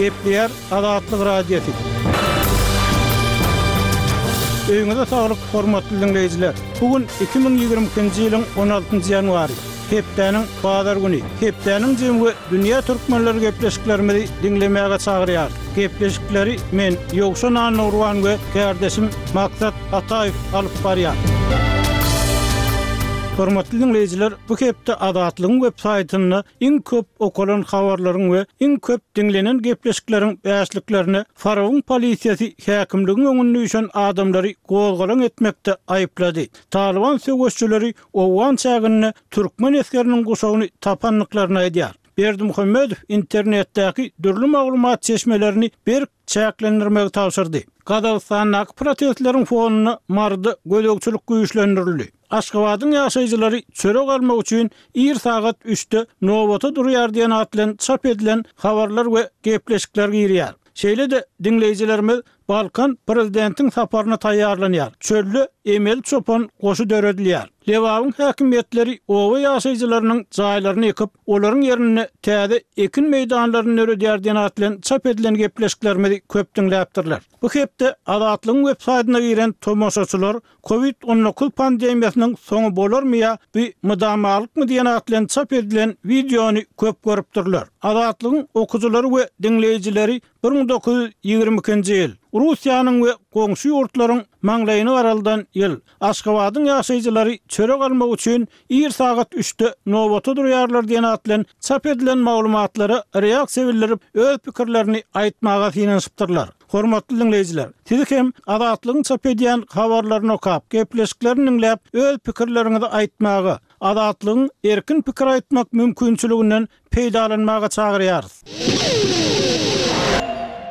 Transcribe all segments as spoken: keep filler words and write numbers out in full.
Gepleýär Azatlyk Radiosy. Öýüňize saglyk, hormatly diňleýjiler. Bu gün iki müň ýigrimi ikinji ýylyň on altynjy ýanwary, hepdäniň bazar güni. Hepdäniň jemi we dünýä türkmenleri gepleşiklerimizi diňlemäge çagyrýar. Gepleşikleri men, Ýowşan Annagurban we kärdeşim Maksat Ataýew alyp barýar. Hormatly diňleýjiler, bu hepde Azatlygyň web saýtynda iň köp okalan habarlaryň we iň köp diňlenen gepleşikleriň bäşliklerine Farawyň polisiýasy häkimligiň öňünde üýşen adamlary gozgalaň etmekde aýyplady. Talyban söweşçileri Owgan çäginde türkmen esgeriniň guşagyny tapandyklaryny aýdýar. Berdimuhamedow internetdäki dürli maglumat çeşmelerini berk çäklendirmegi tabşyrdy. Gazagystandaky protestleriň fonunda Maryda gözegçilik güýçlendirildi. Aşgabadyň ýaşaýjylary çörek almak üçin ir sagat üçde nobata durýar diýen at bilen çap edilen habarlar we gepleşikler girýär. Şeýle-de diňleýjilerimiz Balkan prezidentiň saparyna taýýarlanýar. Çölde emeli çopan goşy döredilýär. Lebabyň häkimiýetleri oba ýaşaýjylarynyň jaýlaryny ýykyp, olaryň ýerinde täze ekin meýdanlaryny döredýär diýen at bilen çap edilen gepleşiklerimizi köp diňläpdirler. Bu hepde Azatlygyň web saýtyna giren tomaşaçylar Covid on dokuz pandemiýasynyň soňy bolarmy ýa bu mydamalykmy diýen at bilen çap edilen wideony köp görüpdirler. Azatlygyň okyjylary we diňleýjileri bir müň dokuz ýüz ýigrimi ikinji ýyl Russiýanyň we goňşy ýurtlaryň maňlaýyny garaldan ýyl Aşgabadyň ýaşaýjylary çörek almak üçin ir sagat üçde nobata durýarlar diýen at bilen çap edilen maglumatlara reaksiýa bildirip, öz pikirlerini aýtmaga synanyşypdyrlar. Hormatly diňleýjiler, sizi hem Azatlygyň çap edýän habarlaryny okap, gepleşiklerini diňläp, öz pikirleriňizi aýtmaga, Azatlygyň erkin pikir aýtmak mümkinçiliginden peýdalanmaga çagyrýarys.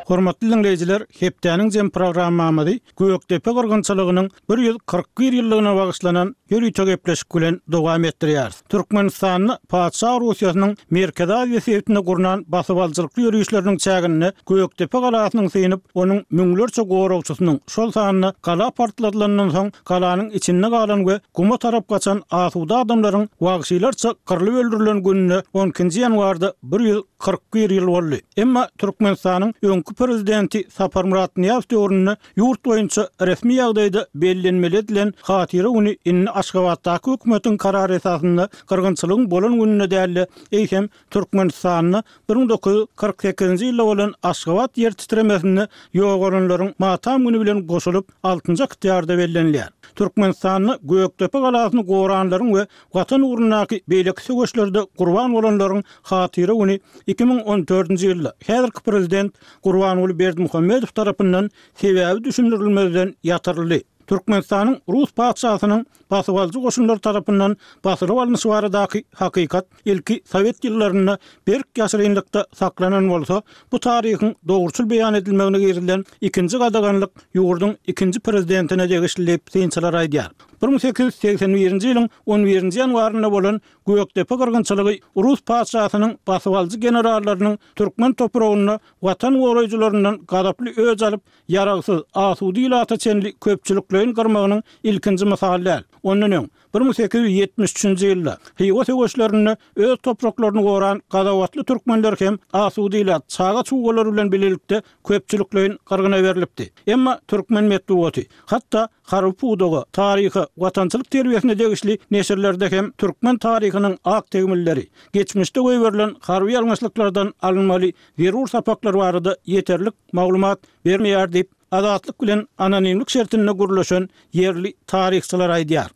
Hormatly diňleýjiler, hepdäniň jem programmamyzy Gökdepe gyrgynçylygynyň bir ýüz kyrk bir ýyllygyna bagyşlanan ýörite gepleşik bilen dowam etdirýäris. Türkmenistanda Patyşa Russiýasynyň Merkezi Aziýa sebitinde gurnan basybalyjylykly ýörişleriniň çäginde Gökdepe galasynyň synyp, onuň müňlerçe goragçysynyň, şol sanda gala partladylandan soň galanyň içinde galan we guma tarap gaçan asuda adamlaryň wagşylarça gyrlyp öldürilen gününe on ikinji ýanwarda bir ýüz kyrk bir ýyl boldy. Emma Türkmenistanyň öňki prezidenti Saparmyrat Nyýazow döwründe ýurt boýunça resmi ýagdaýda bellenmeli edilen hatyra güni indi Aşgabatdaky hökümetiň karary esasynda gyrgynçylygyň bolan gününe däl-de, eýsem Türkmenistanda bir müň dokuz ýüz kyrk sekizinji ýylda bolan Aşgabat ýer titremesinde ýogalanlaryň matam güni bilen goşulyp altynjy oktýabrda bellenilýär. Türkmenistanda Gökdepe galasyny goranlaryň we Watan ugrundaky beýleki söweşlerde gurban bolanlaryň hatyra güni iki müň on dördünji ýylda häzirki prezident Gurbanguly Berdimuhamedow tarapyndan sebäbi düşündirilmezden ýatyryldy. Türkmenistanyň Rus patyşasynyň basybalyjy goşunlary tarapyndan basylyp alnyşy baradaky hakykat ilki sowet ýyllarynda berk ýaşyrynlykda saklanan bolsa, bu taryhyň dogruçyl beýan edilmegine girizilen ikinji gadaganlyk ýurduň ikinji prezidentine degişli diýip synçylar aýdýar. Bir müň sekiz ýüz segsen birinji ýylyň on birinji ýanwarynda bolan Gökdepe gyrgynçylygy Rus patyşasynyň basybalyjy generallarynyň türkmen topragynda watan goraýjylaryndan gazaply öç alyp, ýaragsyz, asuda ilata çenli köpçülikleýin gyrmagynyň ilkinji mysaly däl. Ondan öň, bir müň sekiz ýüz ýetmiş üçünji ýylda Hywa söweşlerinde öz topraklaryny goran gazawatly türkmenler hem asuda ilat, çaga-çugalary bilen bilelikde köpçülikleýin gyrgyna berlipdi. Emma türkmen metbugaty, hatda harby pudaga, taryha, watançylyk terbiýesine degişli neşirlerde hem türkmen taryhynyň ak tegmilleri, geçmişde goýberilen harby ýalňyşlyklardan alynmaly zerur sapaklar barada ýeterlik maglumat bermeýär diýip, Azatlyk bilen anonimlik şertinde gürleşen ýerli taryhçylar aýdýar.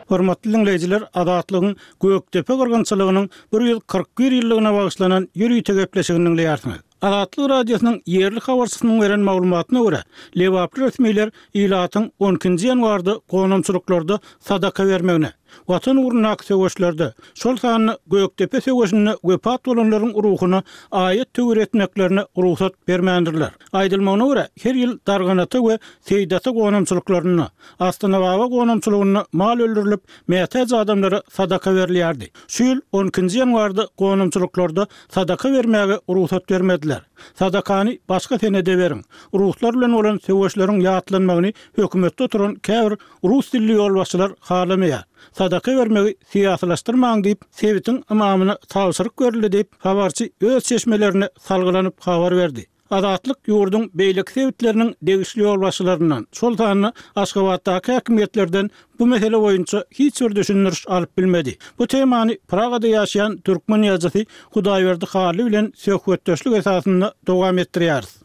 Hormatly diňleýjiler, Azatlygyň Gökdepe gyrgynçylygynyň bir ýüz kyrk bir ýyllygyna bagyşlanan ýörite gepleşigini diňleýärsiňiz. Azatlyk Radiosynyň ýerli habarçysynyň beren maglumatyna görä, lebaply resmiler ilatyň on ikinji ýanwarda gonamçylyklarda sadaka bermegine, Watan ugrundaky söweşlerde, şol sanda Gökdepe söweşinde wepat bolanlaryň ruhuna aýat-töwir etmeklerine rugsat bermändirler. Aýdylmagyna görä, her ýyl Darganata we Seýdata gonamçylyklarynda, Astanababa gonamçylygynda mal öldürilip, mätäç adamlara sadaka berilýärdi. Şu ýyl on ikinji ýanwarda gonamçylyklarda sadaka bermäge rugsat bermediler. Sadakany başga senede beriň. Ruslar bilen bolan söweşleriň ýatlanmagyny hökümetde oturan käbir rus dilli ýolbaşçylar halamaýar. Sadaka bermegi syýasylaşdyrmaň diýip, sebitiň ymamyna tabşyryk berildi diýip, habarçy öz çeşmelerine salgylanyp habar berdi. Azatlyk ýurduň beýleki sebitleriniň degişli ýolbaşçylaryndan, şol sanda Aşgabatdaky häkimiýetlerden bu mesele boýunça hiç bir düşündiriş alyp bilmedi. Bu temany Pragada ýaşaýan türkmen ýazyjysy Hudaýberdi Hally bilen söhbetdeşlik esasynda dowam etdirýäris.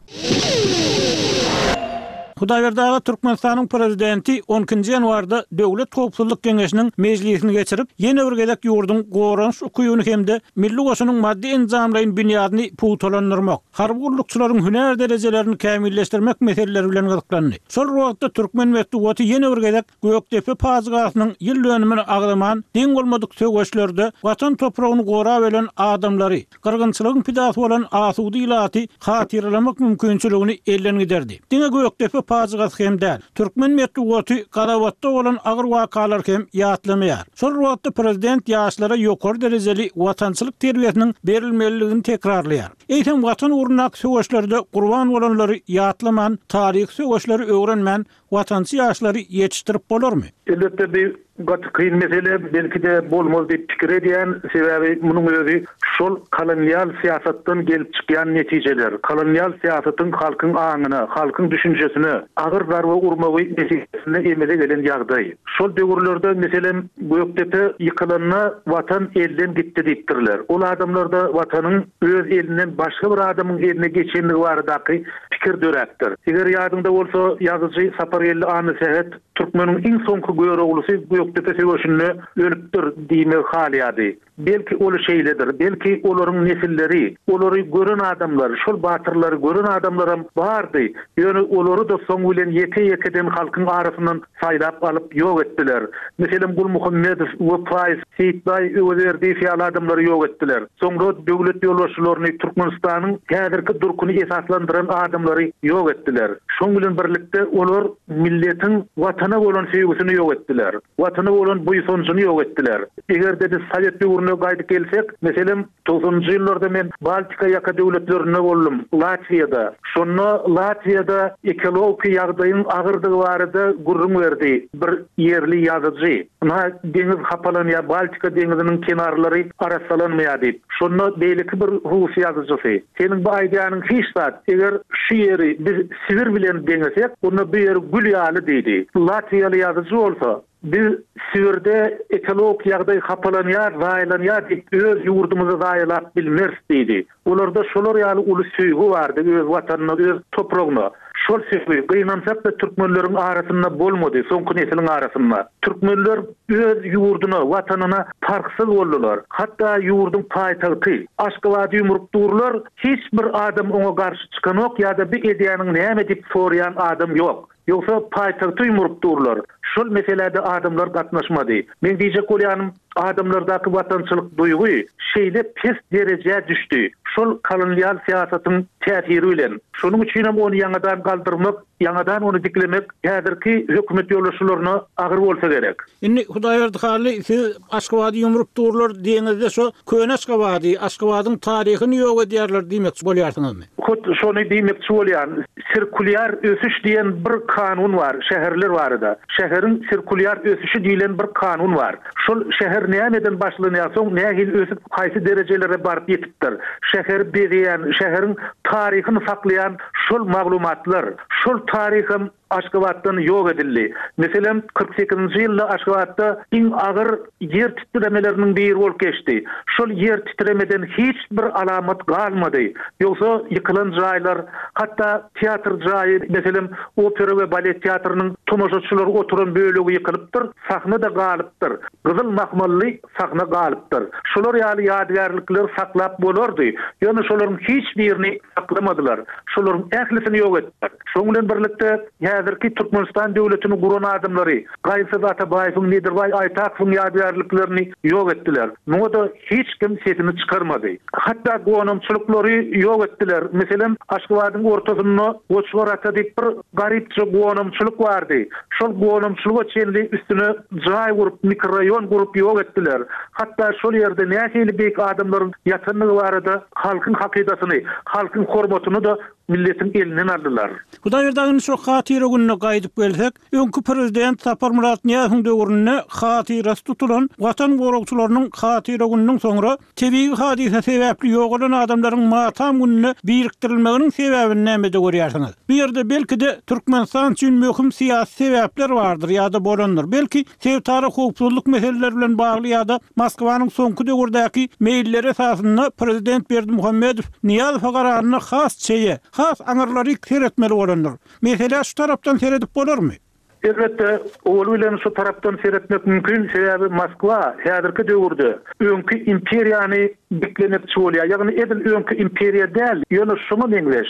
Hudaýberdi aga, Türkmenistanyň Prezidenti on ikinji ýanwarda Döwlet howpsuzlyk geňeşiniň mejlisini geçirip, ýene bir gezek ýurduň goranyş ukybyny hem-de milli goşunyň maddy-enjamlaýyn binýadyny pugtalandyrmak, harby gullukçylaryň hünär derejelerini kämilleşdirmek meseleleri bilen gyzyklandy. Şol bir wagtda türkmen metbugaty ýene bir gezek Gökdepe pajygasynyň ýyl dönümini agzaman, deň bolmadyk söweşlerde Watan topragyny gorap ölen adamlary, gyrgynçylygyň pidasy bolan asuda ilaty hatyralamak mümkinçiligini elden giderdi. Diňe Gökdepe pajygasy hem däl, türkmen metbugaty Gazawatda bolan agyr wakalary hem ýatlamaýar. Şol bir wagtda prezident ýaşlara ýokary derejeli watançylyk terbiýesiniň berilmelidigini tekrarlaýar. Eýsem Watan ugrundaky söweşlerde gurban bolanlary ýatlaman, taryhy söweşleri öwrenmän, watançy ýaşlary ýetişdirip bolarmy? Elbetde bir gaty kyn mesele, belki-de bolmaz diýip pikir edýän, sebäbi munuň özi şol kolonial syýasatdan gelip çykýan netijeler. Kolonial syýasatyň halkyň aňyna, halkyň düşünjesine agyr zarba urmagy netijesinde emele gelen ýagdaý. Şol döwürlerde meselem Gökdepe ýykylanda watan elden gitdi diýipdirler. Ol adamlarda watanyň öz elinden başga bir adamyň eline geçenligi baradaky pikir döräpdir. Eger ýadyňda bolsa, ýazyjy Sapargeldi Annasähet türkmeniň iň soňky Göroglusy Gökdepe söweşinde ölüpdir diýmegi halaýardy. Belki ol şeýledir, belki olaryň nesilleri, olary gören adamlar, şol batyrlary gören adamlaram bardy. Ýöne olary da soň bilen ýeke-ýekeden halkyň arasyndan saýlap alyp ýok etdiler. Meselem Gulmuhammedow, Wepaýew, Seýitbaý Öwezberdiýew ýaly adamlary ýok etdiler. Soňra döwlet ýolbaşçylaryny, Türkmenistanyň häzirki durkuny esaslandyran adamlary ýok etdiler. Şoň bilen birlikde olar milletiň watana bolan söýgüsini ýok etdiler. Watana bolan buýsanjyny ýok etdiler. Eger-de biz Sowet döwrüne gaýdyp gelsek, meselem togsanynjy ýyllarda men Baltika ýaka döwletlerinde boldum, Latwiýada. Şonda Latwiýada ekologiki ýagdaýyň agyrdygy barada gürrüň berdi bir ýerli ýazyjy. Ynha deňiz hapalanýar, Baltika deňiziniň kenarlary arassalanmaýar diýip. Şonda beýleki bir rus ýazyjysy, seniň bu aýdýanyň hiç zat, eger şu ýeri biz Sibir bilen deňesek, onda bu ýer gül ýaly diýdi. Latwiýaly ýazyjy bolsa, biz Sibirde ekologik ýagdaý hapalanýar, zaýalanýar diýip öz ýurdumyzy zaýalap bilmeris diýdi. Olarda şolar ýaly uly söýgi bardy öz watanyna, öz topragyna. Şol söýgi gynansak-da türkmenleriň arasynda bolmady, soňky nesliň arasynda. Türkmenler öz ýurduna, watanyna parhsyz boldular. Hatda ýurduň paýtagty Aşgabady ýumrup durlar, hiç bir adam oňa garşy çykanok ýa-da bir edýäniň näme diýip soraýan adam ýok. Ýogsa paýtagty ýumrup durlar. Şol meselede adamlar gatnaşmady. Men diýjek bolýanym, adamlardaky watançylyk duýgy şeýle pes derejä düşdi. Şol kolonial syýasatyň täsiri bilen. Şonuň üçin hem ony ýaňadan galdyrmak, ýaňadan ony diklemek häzirki hökümet ýolbaşçylaryna agyr bolsa gerek. Indi Hudaýberdi Hally, siz Aşgabady ýumrup durlar diýeňizde şo köne Aşgabady, Aşgabadyň taryhyny ýok edýärler diýmekçi bolýarsyňyzmy? Hut şony diýmekçi bolýan. Sirkulýar ösüş diýen bir kanun bar, şäherler barada. Şäheriň sirkulýar ösüşi diýlen bir kanun bar. Şol şäher nämeden başlanýar, soň nähili ösüp, haýsy derejelere baryp ýetipdir. Şäheri bezeýän, şäheriň taryhyny saklaýan şol maglumatlar, şol taryham Aşgabatdan ýok edildi. Meselem, kyrk sekizinji ýylda Aşgabatda iň agyr ýer titremeleriniň biri bolup geçdi. Şol ýer titremeden hiç bir alamat galmady. Ýogsa ýykylan jaýlar, hatda teatr jaýy, meselem, opera we balet teatrynyň tomaşaçylar oturan bölegi ýykylypdyr, sahna-da galypdyr. Gyzyl mahmally sahna galypdyr. Şolar ýaly ýadygärlikleri saklap bolardy. Ýöne şolaryň hiç birini saklamadylar. Şolaryň ählisini ýok etdiler. Şonuň bilen birlikde häzirki Türkmenistan döwletini guran adamlary Gaýgysyz Atabaýewiň, Nedirbaý Aýtakowyň ýadygärliklerini ýok etdiler. Muňa-da hiç kim sesini çykarmady. Hatda gonamçylyklary ýok etdiler. Meselem, Aşgabadyň ortasynda Goçgar ata diýip bir garypja gonamçylyk bardy. Şol gonamçylyga çenli üstüne jaý gurup, mikroraýon gurup ýok etdiler. Hatda şol ýerde nähili beýik adamlaryň ýatandygy barada halkyň hakydasyny, halkyň hormatyny-da milletiň elinden aldylar. Hudaýberdi aga, şu hatyra gününe gaýdyp gelsek, öňki prezident Saparmyrat Nyýazowyň döwründe hatyrasy tutulan Watan goragçylarynyň hatyra gününiň soňra tebigy hadysa sebäpli ýogalan adamlaryň matam gününe birikdirilmeginiň sebäbini nämede görýärsiňiz? Bu ýerde belki-de Türkmenistan üçin möhüm syýasy sebäpler bardyr ýa-da bolandyr. Belki sebitara howpsuzlyk meseleleri bilen bagly ýa-da Moskwanyň soňky döwürdäki meýilleri esasynda prezident Berdimuhamedow Nyýazowa gararyny has çeýe, has aňyrlary seretmeli bolandyr. Mesele şu tarapdan seredip bolarmy? Elbetde, owal bilen şu tarapdan seretmek mümkin, sebäbi Moskwa häzirki döwürde öňki imperiýany diklemekçi bolýar. Ýagny edil öňki imperiýa däl, ýöne şoňa meňzeş,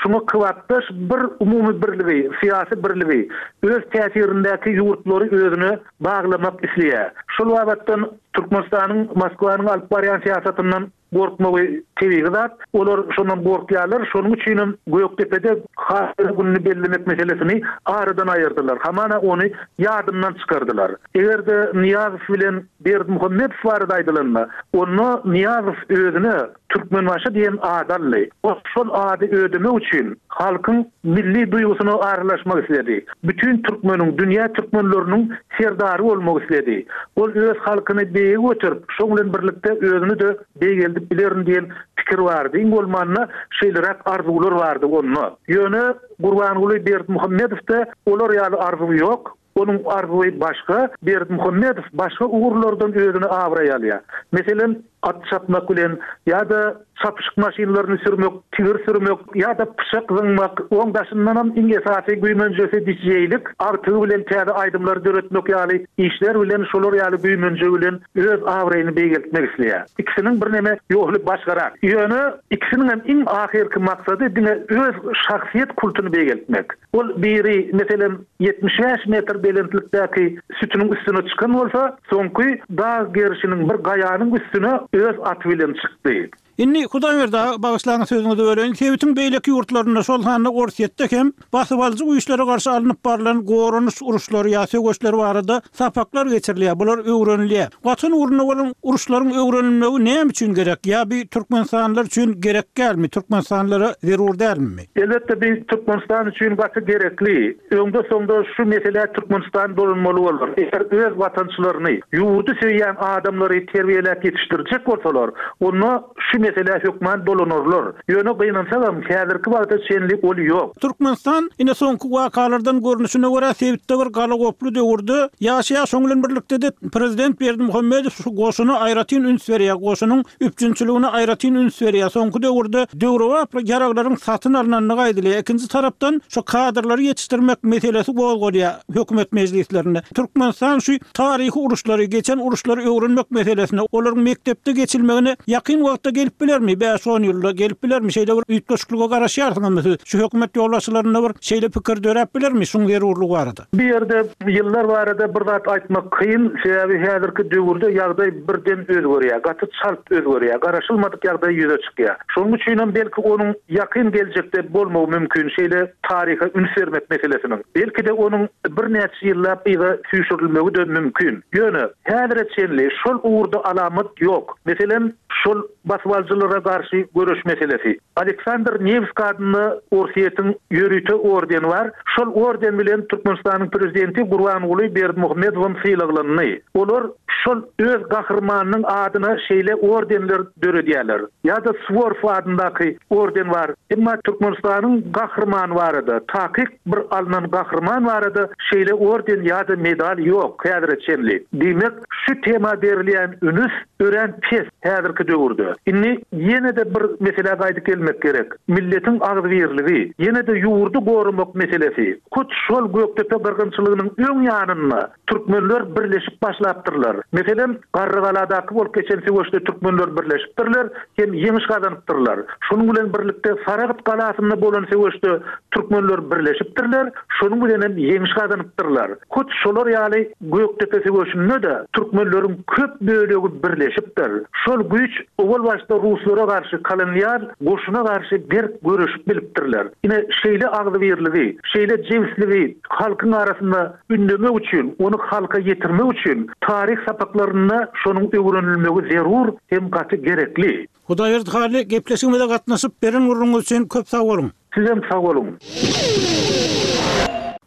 şoňa kybapdaş bir umumy birligi, syýasy birligi, öz täsirindäki ýurtlary özüne baglamak isleýär. Şol babatdan Türkmenistanyň Moskwanyň alyp barýan syýasatyndan gorkmagy tebigy zat. Olar şondan gorkýarlar. Şonuň üçin hem Gökdepede hatyra gününi bellemek meselesini aradan aýyrdylar. Hamana ony ýadyndan çykardylar. Eger-de Nyýazow bilen Berdimuhamedow barada aýdylanda, onda Nyýazow özüne Türkmenbaşy diýen ady aldy. Ol şol ady ödemek üçin halkyň milli duýgusyna aralaşmak isledi. Bütün türkmeniň, dünýä türkmenleriniň serdary bolmak isledi. Ol öz halkyny beýige göterip, şoň bilen birlikde özüni de beýgeldip bilerin diýen pikir bardy. Iň bolmanda şeýleräk arzuwlar bardy onda. Ýöne Gurbanguly Berdimuhamedowda olar ýaly arzuw ýok. Onuň arzuwy başga, Berdimuhamedow başga ugurlardan özüni abraý alýar. Meselem, at çapmak bilen ýa-da çapyşyk maşynlaryny sürmek, tigir sürmek ýa-da pyçak zyňmak, oň daşyndanam iň esasy güýmenjesi dijeýlik, artygy bilen täze aýdymlary döretmek ýaly işler bilen şolar ýaly güýmenje bilen öz abraýyny beýgeltmek isleýär. Ikisiniň birneme ýoly başgarak. Ýöne ikisiniň hem iň ahyrky maksady diňe öz şahsyýet kultuny beýgeltmek. Ol biri meselem ýetmiş bäş metr belentlikdäki sütüniň üstüne çykan bolsa, soňky dag gerişiniň bir gaýanyň üstüne öz aty bilen çykdy. Indi Hudaýberdi aga, bagyşlaň sözüňizi böleýin. Sebitiň beýleki ýurtlarynda, şol sanda Orsýetde hem basybalyjy güýçlere garşy alnyp barylan goranyş uruşlary ýa söweşler barada sapaklar geçirilýär, bular öwrenilýär. Watan ugrunda bolan uruşlaryň öwrenilmegi näme üçin gerek? Ýa bir Türkmenistanlylar üçin gerek dälmi? Türkmenistanlylara zerur dälmi? Elbetde bir Türkmenistan üçin gaty gerekli. Öňde soňda şu mesele Türkmenistan dolanmaly bolar. Eger öz watançylaryny, ýurdy söýýän adamlary terbiýeläp ýetişdirjek bolsalar, onda şu mesele hökman dolanarlar. Ýöne gynansagam häzirki wagta çenli ol ýok. Türkmenistan ine soňky wakalardan görnüşine görä sebitde bir galagoply döwürde ýaşaýar. Şoň bilen birlikde de prezident Berdimuhamedow şu goşuna aýratyn üns berýär. Goşunyň üpjünçiligine aýratyn üns berýär. Soňky döwürde döwrebap ýaraglaryň satyn alynandygy aýdylýar. Ikinji tarapdan şu kadrlary ýetişdirmek meselesi gozgalýar hökümet mejlislerinde. Türkmenistan şu taryhy uruşlary, geçen uruşlary öwrenmek meselesine, olaryň mekdepde geçilmegine ýakyn wagtda gelip bilermi? bäş on ýylda gelip bilermi? Şeýle bir üýtgeşiklige garaşýarsyňyzmy siz? Şu hökümet ýolbaşçylarynda bir şeýle pikir döräp bilermi şuň zerurlygy barada? Bir ýerde ýyllar barada bir zat aýtmak kyn, sebäbi häzirki döwürde ýagdaý birden özgerýär, gaty çalt özgerýär, garaşylmadyk ýagdaý ýüze çykýar. Şonuň üçin hem belki onuň ýakyn geljekde bolmagy mümkin şeýle taryha üns bermek meselesiniň. Belki de onuň birnäçe ýyllap yza süýşürilmegi de mümkin. Ýöne häzire çenli şol ugurda alamat ýok. Meselem, şol basybalyjylara garşy göreş meselesi. Aleksandr Nevski adynda Orsýetiň ýörite ordeni bar. Şol orden bilen Türkmenistanyň prezidenti Gurbanguly Berdimuhamedowam sylaglandy. Olar şol öz gahrymanynyň adyna şeýle ordenler döredýärler. Ýa-da Suworov adyndaky orden bar. Emma Türkmenistanyň gahrymany barada, takyk bir alynan gahryman barada şeýle orden ýa-da medal ýok häzire çenli. Diýmek, şu tema berilýän üns örän pes häzirki döwürde. Indi ýene-de bir mesele gaýdyp gelmek gerek. Milletiň agzybirligi, ýene-de ýurdy goramak meselesi. Hut şol Gökdepe gyrgynçylygynyň öň ýanynda türkmenler birleşip başlapdyrlar. Meselem, Garrygaladaky bolup geçen söweşde türkmenler birleşipdirler, hem ýeňiş gazanypdyrlar. Şonuň bilen birlikde Saragt galasynda bolan söweşde türkmenler birleşipdirler, şonuň bilen hem ýeňiş gazanypdyrlar. Hut şolar ýaly Gökdepe söweşinde de türkmenleriň köp bölegi birleşipdir. Şol güýç Owal başda ruslara garşy, kolonial goşuna garşy berk göreşip bilipdirler. Ine şeýle agzybirligi, şeýle jebisligi halkyň arasynda ündemek üçin, ony halka ýetirmek üçin taryh sapaklarynda şonuň öwrenilmegi zerur hem gaty gerekli. Hudaýberdi Hally gepleşigimize gatnaşyp beren gürrüňiz üçin köp sag boluň. Sizem sag boluň.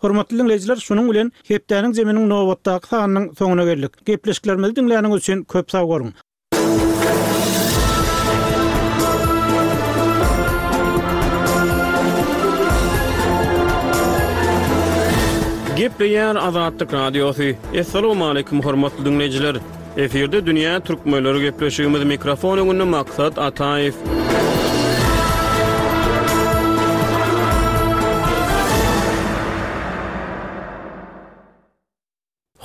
Hormatly dinleýjiler, şunuň bilen hepdäniň zeminiň nobatdaky sanynyň soňuna geldik. Gepleşiklerimizi diňläniňiz üçin köp sag boluň. Gepleýär Azatlyk Radiosy. Essalamu aleyküm hormatly dinleýjiler. Efirde Dünýä Türkmenleri gepleşigimiz mikrofon öňünde Maksat Ataýew.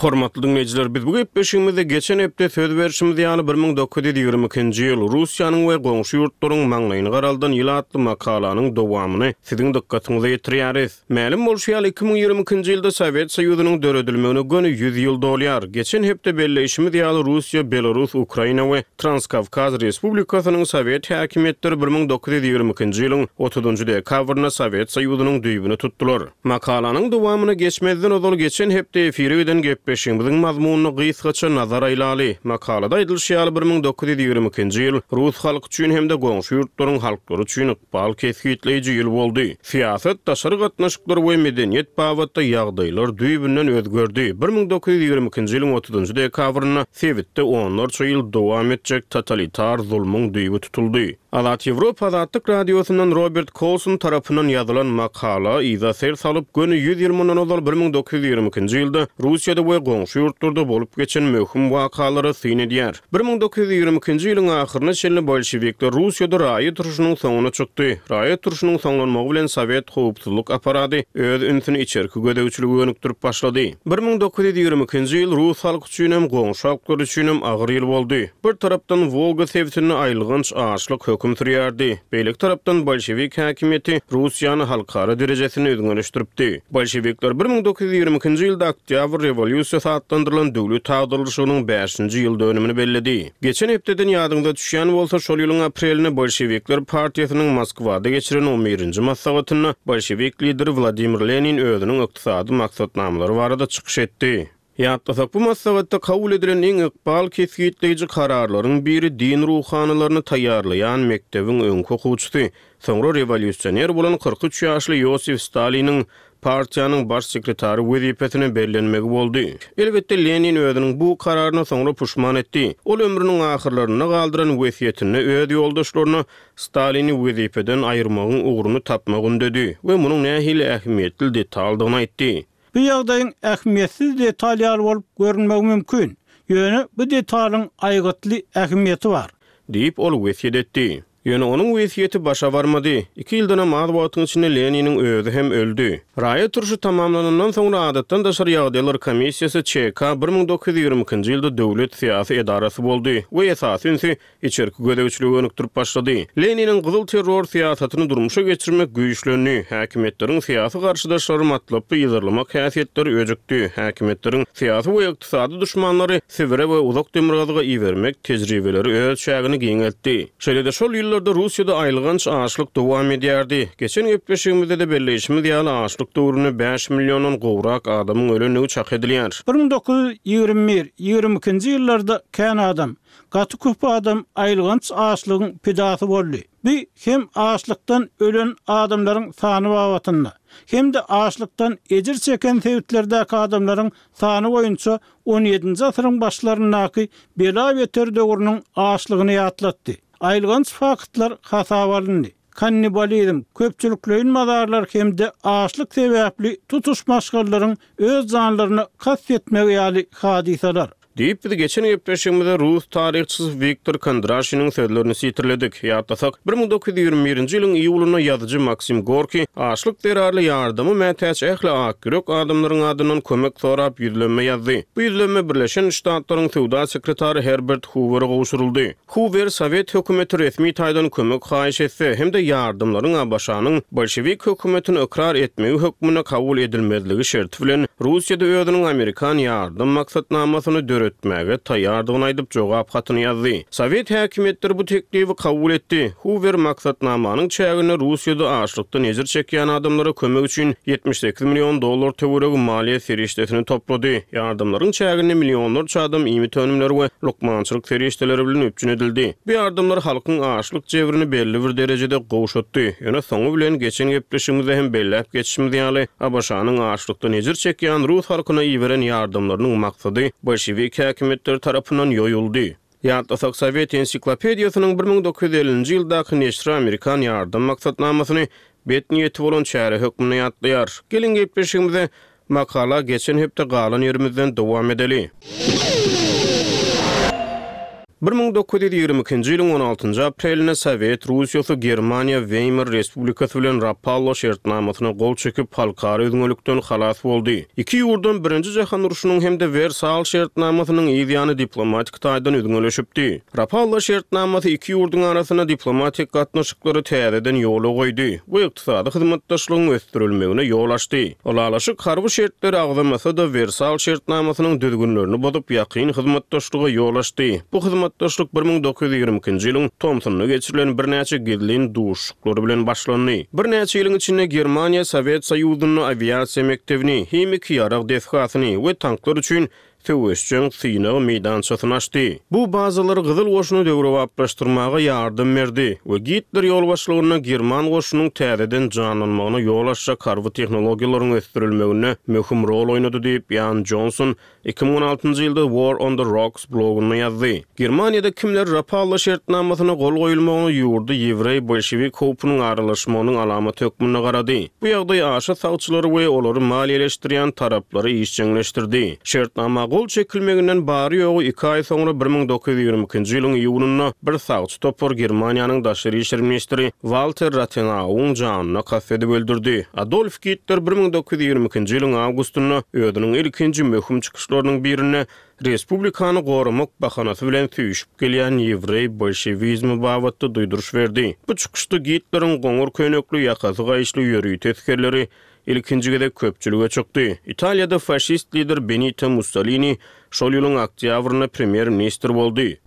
Hormatly dinleýjiler, biz bu gepleşigimizde geçen hepde söz berişimiz ýaly bir müň dokuz ýüz ýigrimi ikinji ýyl Russiýanyň we goňşy ýurtlaryň maňlaýyny garaldan ýyl atly makalanyň dowamyny siziň dykgatyňyza ýetirýäris. Mälim bolşy ýaly iki müň ýigrimi ikinji ýylda Sowet Soýuzynyň döredilmegine göni ýüz ýyl dolýar. Geçen hepde belleýşimiz ýaly Russiýa, Belarus, Ukraina we Transkawkaz Respublikasynyň Sowet häkimiýetleri bir müň dokuz ýüz ýigrimi ikinji ýylyň otuzunjy dekabrynda Sowet Soýuzynyň düýbüni tutdular. Makalanyň dowamyny geçmezden ozal geçen hepde efire giden gepleşigimiziň mazmunyna gysgaça nazar aýlaly. Makalada aýdylyşy ýaly bir müň dokuz ýüz ýigrimi ikinji ýyl Rus halky üçin hem-de goňşy ýurtlaryň halklary üçin ykbal kesgitleýji ýyl boldy. Syýasat, daşary gatnaşyklar we medeniýet babatda ýagdaýlar düýbünden özgerdi. Bir müň dokuz ýüz ýigrimi ikinji ýylyň otuzunjy dekabrynda sebitde onlarça ýyl dowam etjek totalitar zulmuň düýbi tutuldy. Azat Ýewropa Azatlyk Radiosyndan Robert Coulson tarapyndan ýazylan makala yza ser salyp, göni ýüz ýyl mundan ozal bir müň dokuz ýüz ýigrimi ikinji ýylda Russiýada we goňşy ýurtlarda bolup geçen möhüm wakalara syn edýär. Bir müň dokuz ýüz ýigrimi ikinji ýylyň ahyryna çenli bolşevikler Russiýada raýat urşunyň soňuna çykdy. Raýat urşunyň soňlanmagy bilen Sowet howpsuzlyk aparady öz ünsüni içerki gözegçilige gönükdirip başlady. Bir müň dokuz ýüz ýigrimi ikinji ýyl Rus halky üçin hem goňşy halklar üçin hem agyr ýyl boldy. Bir tarapdan Wolga sebitinde aýylganç açlyk höküm sürýärdi. Beýleki tarapdan bolşevik häkimiýeti Russiýany halkara derejesini özgeleşdiripdi. Bolşevikler bir müň dokuz ýüz ýigrimi ikinji ýylda Oktýabr rewolýusiýasy atlandyrylan döwlet agdarylyşygynyň bäşinji ýyl dönümini belledi. Geçen hepdeden ýadyňda düşýän bolsa, şol ýylyň aprelinde Bolşevikler partiýasynyň Moskwada geçiren on birinji maslahatynda bolşevik lideri Wladimir Lenin özüniň ykdysady maksatnamalary barada çykyş etdi. Ýatlasak, bu maslahatda kabul edilen iň ykbal kesgitleýji kararlaryň biri din ruhanylaryny taýýarlaýan mekdebiň öňki okuwçysy, soňra rewolýusioner bolan kyrk üç ýaşly Ýosif Staliniň partiýanyň baş sekretary wezipesine bellenmegi boldy. Elbetde Lenin özüniň bu kararyna soňra puşman etdi. Ol ömrüniň ahyrlarynda galdyran wesýetinde öz ýoldaşlaryna Stalini wezipeden aýyrmagyň ugruny tapmak ündedi we munuň nähili ähmiýetli detaldygyny aýtdy. Bu ýagdaýyň ähmiýetsiz detal ýaly bolup görünmegi mümkin. Ýöne bu detalyň aýgytly ähmiýeti bar, diýip ol wesýet etdi. Ýöne onuň wesýeti başa barmady. Iki ýyldan az wagtyň içinde Leniniň özi hem öldi. Raýat urşy tamamlanandan soňra adatdan daşary ýagdaýlar komissiýasy Ç K bir müň dokuz ýüz ýigrimi ikinji ýylda döwlet syýasy edarasy boldy we esasy ünsi içerki gözegçilige gönükdirip başlady. Leniniň gyzyl terror syýasatyny durmuşa geçirmek güýçlendi. Häkimiýetleriň syýasy garşydaşlary matlaply ýyzyrlamak häsiýetleri öjükdi. Häkimiýetleriň syýasy we ykdysady düşmanlary Sibire we uzak demirgazyga ibermek tejribeleri öz çägini giňeltdi. Şeýle-de şol ýyllarda Russiýada aýylganç açlyk dowam edýärdi. Geçen gepleşigimizde de belleýşimiz ýaly açlyk döwründe bäş milliondan gowrak adamyň ölendigi çak edilýär. Bir müň dokuz ýüz ýigrimi bir, ýigrimi ikinji ýyllarda kän adam, gaty köp adam aýylganç açlygyň pidasy boldy. Bu hem açlykdan ölen adamlaryň sany babatynda, hem-de açlykdan ejir çeken sebitlerdäki adamlaryň sany boýunça on ýedinji asyryň başlaryndaky bela beter döwrüniň açlygyny ýatlatdy. Aýylganç faktlar hasaba alyndy. Kannibalizm, köpçülikleýin mazarlar hem-de açlyk sebäpli tutuş maşgalaryň öz janlaryna kast etmegi ýaly hadysalar. Diýip biz geçen gepleşigimizde Rus taryhçysy Wiktor Kondraşiniň sözlerini sitirledik. Ýatlasak, bir müň dokuz ýüz ýigrimi birinji ýylyň iýulynda ýazyjy Maksim Gorki açlyk zerarly ýardama mätäç ähli akýürek adamlaryň adyndan kömek sorap ýüzlenme ýazdy. Bu ýüzlenme Birleşen Ştatlaryň söwda sekretary Herbert Hoover'e gowşuryldy. Hoover Sowet hökümeti resmi taýdan kömek haýyş etse hem-de ýardamlaryň A B Ş-nyň bolşewik hökümetini ykrar etmegi hökmünde kabul edilmezligi şerti bilen Russiýada özüniň Amerikan ýardam maksatnamasyny döretmäge taýýardygyny aýdyp jogap hatyny ýazdy. Sowet häkimiýetleri bu teklibi kabul etdi. Huwer maksatnamanyň çäginde Russiýada açlykdan ejir çekýän adamlara kömek üçin ýetmiş sekiz million dollar töweregi maliýe serişdesini toplady. Ýardamlaryň çäginde millionlarça adam iýmit önümleri we lukmançylyk serişdeleri bilen üpjün edildi. Bu ýardamlar halkyň açlyk jebrini belli bir derejede gowşatdy. Ýöne soňy bilen geçen gepleşigimizde hem belläp geçişimiz ýaly, ABŞ-nyň açlykdan ejir çekýän rus halkyna iberen ýardamlarynyň maksady bolşewik häkimiýetleri tarapyndan ýoýuldy. Ýatlasak, Sowet ensiklopediýasynyň bir müň dokuz ýüz ellinji ýyldaky neşri Amerikan ýardam maksatnamasyny bet niýeti bolan çäre hökmünde ýatlaýar. Geliň gepleşigimize makala geçen hepde galan ýerimizden dowam edeli. Bir müň dokuz ýüz ýigrimi ikinji ýylyň on altynjy aprelinde Sowet Russiýasy Germaniýa Weýmar Respublikasy bilen Rapallo şertnamasyna gol çekip, halkara üzňelikden halas boldy. Iki ýurdan Birinji Jahan urşunyň hem-de Wersal şertnamasynyň yz ýany diplomatik taýdan üzňeleşipdi. Rapallo şertnamasy iki ýurduň arasynda diplomatik gatnaşyklary täzeden ýola goýdy we ykdysady hyzmatdaşlygyň ösdürilmegine ýol açdy. Ylalaşyk harby şertleri agzamasa-da Wersal şertnamasynyň düzgünlerini bozup, ýakyn hyzmatdaşlyga ýol açdy. Bu hyzmatdaşlyk bir müň dokuz ýüz ýigrimi ikinji ýylyň tomsunda geçirilen birnäçe gizlin duşuşyklary bilen başlandy. Birnäçe ýylyň içinde Germaniýa Sowet Soýuzynda awiasiýa mekdebini, himiki ýarag desgasyny we tanklar üçin söweşjeň synag meýdançasyny açdy. Bu bazalar Gyzyl goşuny döwrebaplaşdyrmaga ýardam berdi we Gitler ýolbaşçylygynda German goşunyň täzeden janlanmagyna ýol açjak harby tehnologiýalaryň ösdürilmeginde möhüm rol oýnady diýip Jan Johnson iki müň on altynjy ýylda War on the Rocks blogunda ýazdy. Germaniýada kimler Rapallo şertnamasyna gol goýulmagyny ýurdy ýewreý bolşewik howpunyň aralaşmagynyň alamaty hökmünde garady. Bu ýagdaý aşa sagçylary we olary maliýeleşdirýän taraplary işjeňleşdirdi. Şertnama gol çekilmeginden bary ýogy iki aý soňra bir müň dokuz ýüz ýigrimi ikinji ýylyň iýunynda bir sagçy topar Germaniýanyň daşary işler ministri Walter Rathenauwyň janyna kast edip öldürdi. Adolf Gitler bir müň dokuz ýüz ýigrimi ikinji ýylyň awgustynda özüniň ilkinji möhüm çykyşlarynyň birinde Respublikany goramak bahanasy bilen süýşüp gelýän ýewreý bolşewizmi babatda duýduryş berdi. Bu çykyşda Gitleriň goňur köýnekli ýakasy gaýyşly ýörite esgerleri ilkinji gezek köpçülige çykdy. Italiýada faşist lider Benito Mussolini şol ýylyň oktýabrynda premýer-ministr boldy.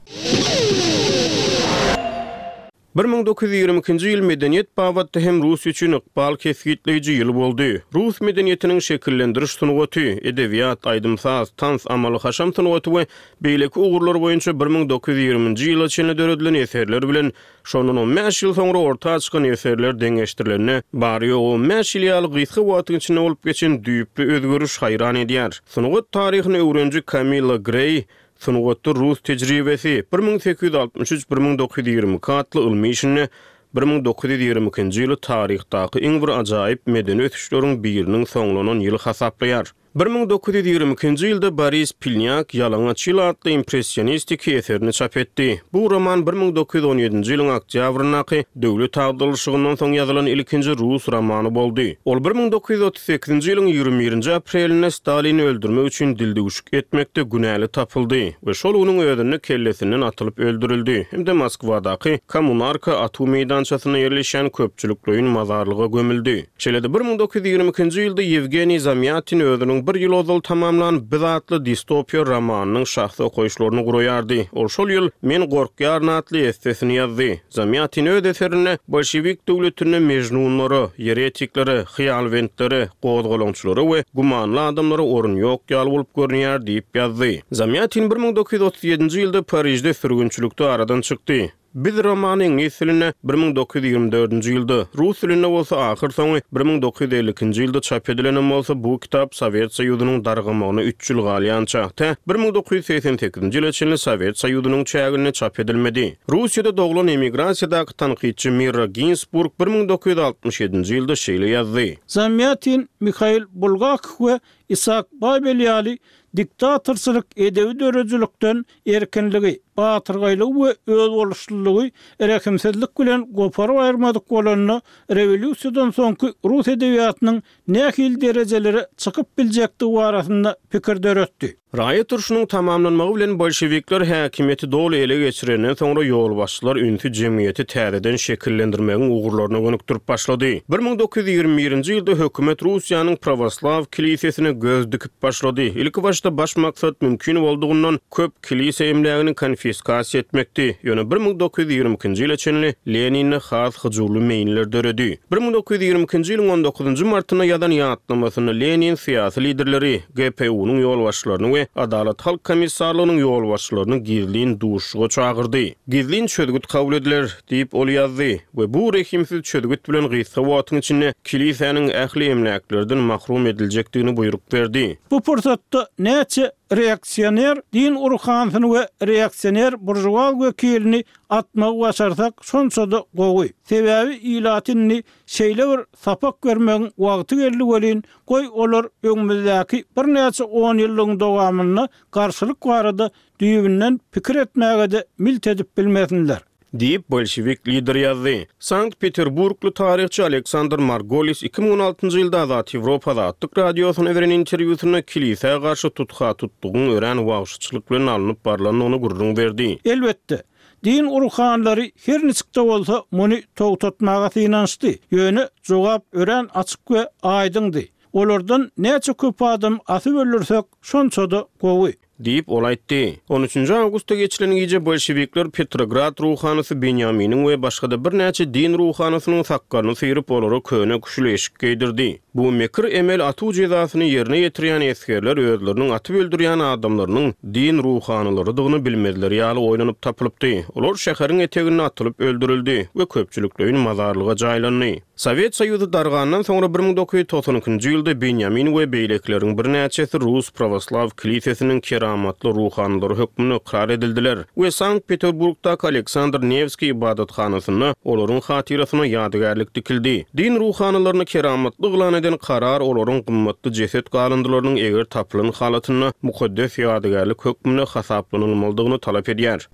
Bir müň dokuz ýüz ýigrimi ikinji ýyl medeniýet babatda hem Rus üçin ykbal kesgitleýji ýyl boldy. Rus medeniýetiniň şekillendiriş sungaty, edebiýat, aýdym-saz, tans, amaly haşam sungaty we beýleki ugurlar boýunça bir müň dokuz ýüz ýigriminji ýyla çenli döredilen eserler bilen şondan on bäş ýyl soňra orta çykan eserler deňeşdirilende bary ýogy on bäş ýyl ýaly gysga wagtyň içinde bolup geçen düýpli özgeriş haýran edýär. Sungat taryhyny öwreniji Kamilla Grey Sungatda Rus tejribesi bir müň sekiz ýüz altmyş üç bir müň dokuz ýüz ýigrimi iki atly ylmy işinde bir müň dokuz ýüz ýigrimi ikinji ýyly taryhdaky iň bir ajaýyp medeni ösüşleriň biriniň soňlanan ýyly hasaplaýar. Bir müň dokuz ýüz ýigrimi ikinji ýylda Boris Pilnýak Ýalaňaç ýyl atly impressionistiki eserini çap etdi. Bu roman bir müň dokuz ýüz on ýedinji ýylyň oktýabryndaky döwlet agdarylyşygyndan soň ýazylan ilkinji rus romany boldy. Ol bir müň dokuz ýüz otuz sekizinji ýylyň ýigrimi birinji aprelinde Stalini öldürmek üçin dildüwşük etmekde günäli tapyldy we şol günüň özünde kellesinden atylyp öldürildi hem-de Moskwadaky Kommunarka atuw meýdançasynda ýerleşýän köpçülikleýin mazarlyga gömüldi. Şeýle-de bir müň dokuz ýüz ýigrimi ikinji ýylda Ýewgeniý Zamýatin özüniň bir ýyl ozal tamamlan Biz atly distopiýa romanynyň şahsy okaýyşlaryny guraýardy. Ol şol ýyl Men gorkýaryn atly essesini ýazdy. Zamýatin öz eserinde bolşewik döwletinde mejnunlara, ýeretiklere, hyýalbentlere, gozgalaňçylara we gümanly adamlara orun ýok ýaly bolup görünýär diýip ýazdy. Zamýatin bir müň dokuz ýüz otuz ýedinji ýylda Parižde sürgünçilikde aradan çykdy. Biz romany iňlis dilinde bir müň dokuz ýüz ýigrimi dördünji ýylda, rus dilinde bolsa ahyr soňy bir müň dokuz ýüz elli ikinji ýylda çap edilenem bolsa bu kitap Sowet Soýuzynyň dargamagyna üç ýyl galýança, tä bir müň dokuz ýüz segsen sekizinji ýyla çenli Sowet Soýuzynyň çäginde çap edilmedi. Russiýada doglan emigrasiýadaky tankytçy Mirra Ginsburg bir müň dokuz ýüz altmyş ýedinji ýylda şeýle ýazdy. Zamýatin, Mihail Bulgakow we Isak Babel ýaly diktatorçylyk edebi döredijilikden erkinligi, batyrgaýlygy we özboluşlylygy rehimsizlik bilen goparyp aýyrmadyk bolanda rewolýusiýadan soňky rus edebiýatynyň nähili derejelere çykyp biljekdigi barasynda pikir döretdi. Raýat urşunyň tamamlanmagy bilen bolşewikler häkimiýeti doly ele geçirenden soňra ýolbaşçylar ünsi jemgyýeti täzeden şekillendirmegiň ugurlaryna gönükdirip başlady. Bir müň dokuz ýüz ýigrimi birinji ýylda hökümet Russiýanyň prawoslaw kilisesine göz dikip başlady. Ilkibaşda baş maksat mümkin boldugyndan köp kilise emlägini konfiskasiýa etmekdi. Ýöne bir müň dokuz ýüz ýigrimi ikinji ýyla çenli Leninde has hyjuwly meýiller döredi. Bir müň dokuz ýüz ýigrimi ikinji ýylyň on dokuzynjy martynda ýazan ýatlamasynda Lenin syýasy liderleri, G P U-nyň ýolbaşçylaryny we Adalat Halk Komissarlygynyň ýolbaşçylaryny gizlin duşuşyga çagyrdy. Gizlin çözgüt kabul ediler, diýip ol ýazdy we bu rehimsiz çözgüt bilen gysga wagtyň içinde kilisäniň ähli emläklerden mahrum ediljekdigini buýruk berdi. Bu pursatda näçe reaksioner din urhansyny we reaksioner burjual wekilini atmagy başarsak, şonça-da gowy. Sebäbi ilatyny şeýle bir sapak bermegiň wagty geldi welin, goý olar öňümizdäki birnäçe on ýyllygyň dowamynda garşylyk barada düýbünden pikir etmäge-de milt edip bilmesinler. Diýip bolşewik lider ýazdy. Sankt-Peterburgly taryhçy Aleksandr Margolis iki müň on altynjy ýylda Azat Ýewropa Azatlyk radiosyna beren interwýusynda kilisä garşy tutha tutdugyň örän wagşyçylyk bilen alnyp barlandygyny gürrüň berdi. Elbetde, din urhanlary her niçikde bolsa muny togtatmaga synanyşdy. Ýöne jogap örän açyk we aýdyňdy. Olardan näçe köp adam asyp öldürsek, şonça-da gowy. Diýip ol aýtdy. On üçünji awgustda geçilen gije bolşewikler Petrograd ruhanysy Benýaminiň we başga-da birnäçe din ruhanysynyň sakgalyny syryp, olara köne küşül eşik geýdirdi. Bu mekir emel atuw jezasyny ýerine ýetirýän esgerler özleriniň atyp öldürýän adamlarynyň din ruhanylarydygyny bilmezleri ýaly oýlanyp tapylypdy. Olar şäheriň eteginde atylyp öldürildi we köpçülikleýin mazarlyga jaýlandy. Sowet Soýuzy dargandan soňra bir müň dokuz ýüz togsan ikinji ýylda Benýamin we beýlekileriň birnäçesi Rus Pravoslav kilisesiniň keramatly ruhanylary hökmünde ykrar edildiler we Sankt-Peterburgdaky Aleksandr Nevskiý ibadathanasynda olaryň hatyrasyna ýadygärlik dikildi. Din ruhanylaryny keramatly yglan eden karar olaryň gymmatly jeset galyndylarynyň eger tapylan halatynda mukaddes ýadygärlik hökmünde hasaplanylmalydygyny talap edýär.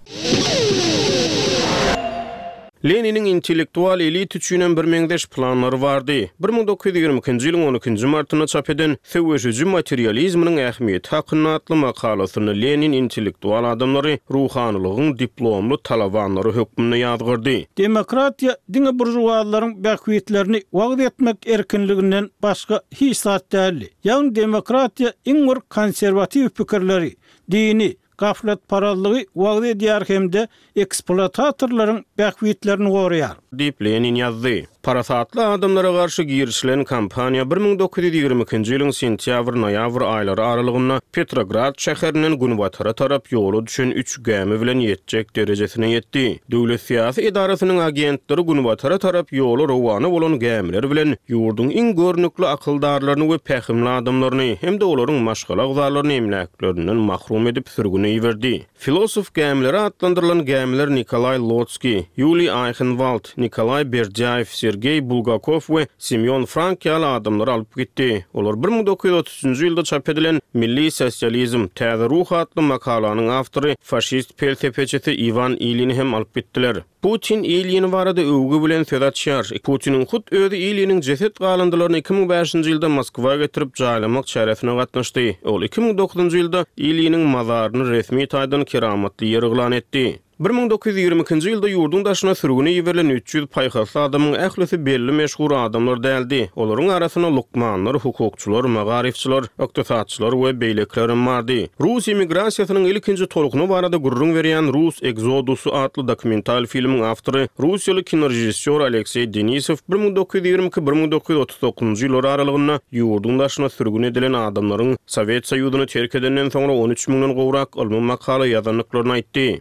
Leniniň intellektual elit üçinem bir meňzeş planlary bardy. Bir müň dokuz ýüz ýigrimi ikinji ýylyň on ikinji martynda çap eden Söweşiji materializminiň ähmiýeti hakynda atly makalasynda Lenin intellektual adamlary ruhanylygyň diplomly talabanlary hökmünde ýazgyrdy. Demokratiýa diňe burjuazlaryň bähbitlerini wagyz etmek erkinliginden başga hiç zat däldi. Ýagny demokratiýa iň bir konserwatiw pikirleri, dini, gaflatparazlygy wagyz edýär hem-de eksploatatorlaryň bähbitlerini goraýar. Diýip Lenin ýazdy. Parasatly adamlara garşy girişilen kampaniýa bir müň dokuz ýüz ýigrimi ikinji ýylyň sentýabr-noýabr aýlary aralygynda Petrograd şäherinden günbatara tarap ýola düşen üç gämi bilen ýetjek derejesine ýetdi. Döwlet syýasy edarasynyň agentleri günbatara tarap ýola rowana bolan gämiler bilen ýurduň iň görnükli akyldarlaryny we pähimli adamlaryny hem-de olaryň maşgala agzalaryny emläklerinden mahrum edip sürgüne iberdi. Filosof gämileri atlandyrylan gämiler Nikolay Lotskiý, Ýuliý Aýhenwald, Nikolay Berdýaýew, Sergey Bulgakov we Semyon Frank ýaly adamlary alyp gitdi. Olar bir müň dokuz ýüz otuz üçünji ýylda çap edilen Milli sosializm, Täze ruh atly makalanyň awtory faşist pelsepeçisi Iwan Ilýini hem alyp gitdiler. Putin Ilýin barada öwgü bilen söz açýar. Putiniň hut özi Ilýiniň jeset galyndylaryny iki müň bäşinji ýylda Moskwa getirip jaýlamak çäresine gatnaşdy. Ol iki müň dokuzynjy ýylda Ilýiniň mazaryny resmi taýdan keramatly ýer yglan etdi. Bir müň dokuz ýüz ýigrimi ikinji ýylda ýurduň daşyna sürgüne iberilen üç ýüz paýhasly adamyň ählisi belli meşhur adamlar däldi. Olaryň arasynda lukmanlar, hukukçylar, magaryfçylar, ykdysatçylar we beýlekiler bardy. Rus emigrasiýasynyň ilkinji tolkuny barada gürrüň berýän Rus Exodusy atly dokumental filmiň awtory Russiýaly kinorežissýor Aleksey Denisow bir müň dokuz ýüz ýigrimi iki bir müň dokuz ýüz otuz dokuzynjy ýyllar aralygynda ýurduň daşyna sürgün edilen adamlaryň Sowet Soýuzyny terk edenden soňra on üç müňden gowrak ylmy makala ýazandyklaryny aýtdy.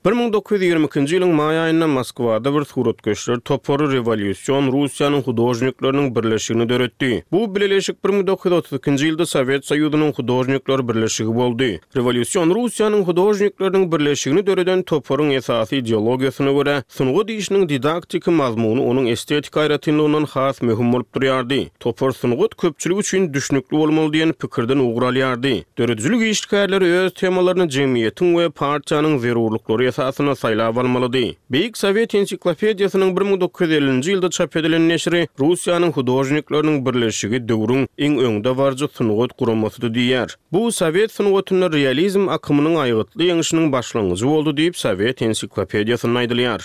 Bir müň dokuz ýüz ýigrimi ikinji ýylyň maý aýynda Moskwada bir suratkeşler topary rewolýusion Russiýanyň hudožnikleriniň birleşigini döretdi. Bu bileleşik bir müň dokuz ýüz otuz ikinji ýylda Sowet Soýuzynyň hudožnikler birleşigi boldy. Rewolýusion Russiýanyň hudožnikleriniň birleşigini döreden toparyň esasy ideologiýasyna görä, sungat işiniň didaktiki mazmuny onuň estetik aýratynlygyndan has möhüm bolup durýardy. Topar sungat köpçülik üçin düşnükli bolmaly diýen pikirden ugur alýardy. Döredijilik işgärleri öz temalaryny jemgyýetiň we partiýanyň zerurlyklary esasynda saýlap almalydy. Beýik Sowet ensiklopediýasynyň bir müň dokuz ýüz ellinji ýylda çap edilen neşiri Russiýanyň hudožnikleriniň birleşigi döwrüň iň öňdebaryjy sungat guramasydy diýýär. Bu sowet sungatynda realizm akymynyň aýgytly ýeňşiniň başlangyjy boldy diýip, Sowet ensiklopediýasynda aýdylýar.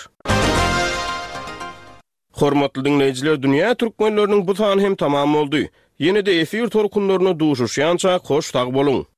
Hormatly diňleýjiler, dünýä türkmenleriniň bu sany hem tamam boldy. Ýene-de efir tolkunlarynda duşuşýança hoş sag boluň!